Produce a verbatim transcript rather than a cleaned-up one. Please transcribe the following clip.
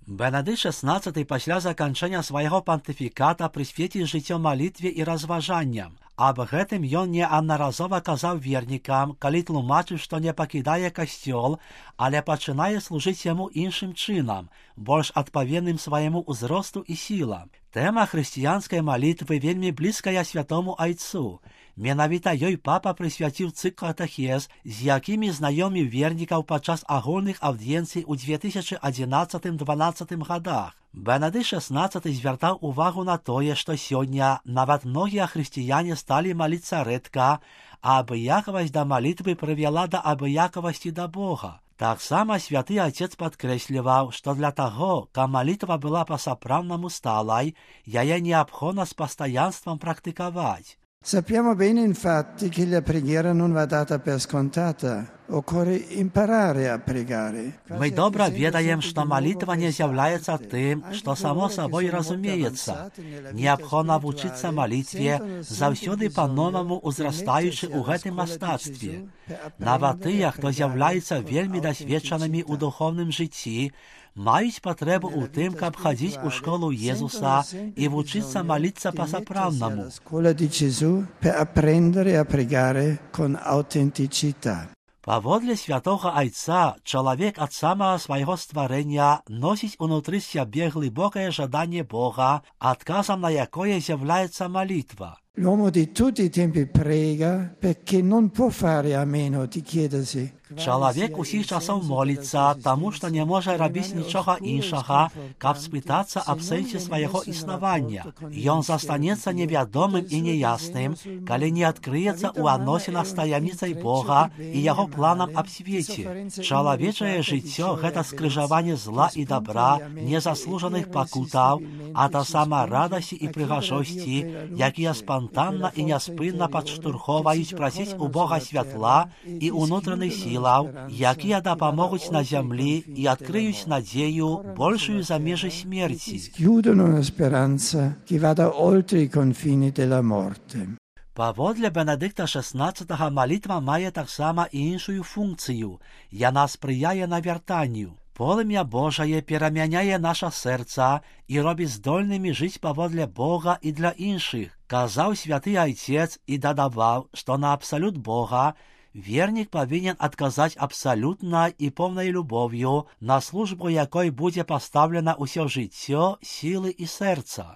Бенедикт шестнадцатый пасля заканчэння свайго пантыфіката прысвеціць жыццё малітве і разважанням. Аб гэтым ён неаднаразова казаў вернікам, калі тлумачыў, што не пакідае касцёл, але пачынае служыць яму іншым чынам, больш адпаведным свайму ўзросту і сілам. Тэма хрысціянскай малітвы вельмі блізкая святому айцу. Менавіта ёй папа прысвяціў цыкл катэхез, з якімі знаёміў вернікаў падчас агульных аўдыенцый у две тысячи адзінаццатым-дванаццатым гадах. Бенедикт шестнадцатый звяртаў увагу на тое, што сёння нават многія хрысціяне сталі маліцца рэдка, а абыякавасць да малітвы прывяла да абыякавасці да Бога. Таксама святы Отец падкрэсліваў, што для таго, каб малітва была па-сапраўднаму сталай, яе неабходна з пастаянствам практыкаваць. Sappiamo bene infatti che la preghiera non va data per scontata. Occorre imparare a pregare. Мы добра ведаем, што малітва не з'яўляецца тым, што само сабой разумеецца. Неабходна вучыцца малітве, заўсёды па-новаму ўзрастаючы ў гэтым мастацтве. Нават тыя, хто з'яўляецца вельмі дасведчанымі ў духоўным жыцці, маюць патрэбу ў тым, каб хадзіць у школу Езуса і вучыцца маліцца па-сапраўднаму. Scuola di Gesù per apprendere a pregare con autenticità. Паводле святога айца, чалавек ад самага свайго стварэння носіць унутры сябе глыбокае жаданне Бога, адказам на якое з'яўляецца малітва. L'uomo di tutti i tempi prega perché non può fare a meno di chiedersi. Чалавек усіх часоў моліцца, таму што не можа рабіць нічога іншага, каб спытацца аб сэнсе свайго існавання. Ён застанецца невядомым і неясным, калі не адкрыецца ў адносінах з таямніцай Бога і яго планам аб свеце. Чалавечае жыццё — гэта скрыжаванне зла і добра, незаслужаных пакутаў, а таксама радасці і прыгажосці, якія спантанна і няспынна падштурхоўваюць прасіць у Бога святла і ўнутраных сіл, якія дапамогуць на зямлі і адкрыюць надзею большую за межы смерці. Chiudono una speranza che vada oltre i confini della morte. Паводле Бенедикта шестнадцатага малітва мае таксама і іншую функцыю. Яна спрыяе навяртанню. Полымя Божае перамяняе наша сэрца і робіць здольнымі жыць паводле Бога і для іншых. Казаў святы айцец і дадаваў, што на абсалют Бога вернік павінен адказаць абсалютна і поўнай любоўю, на службу якой будзе пастаўлена ўсё жыццё, сілы і сэрца.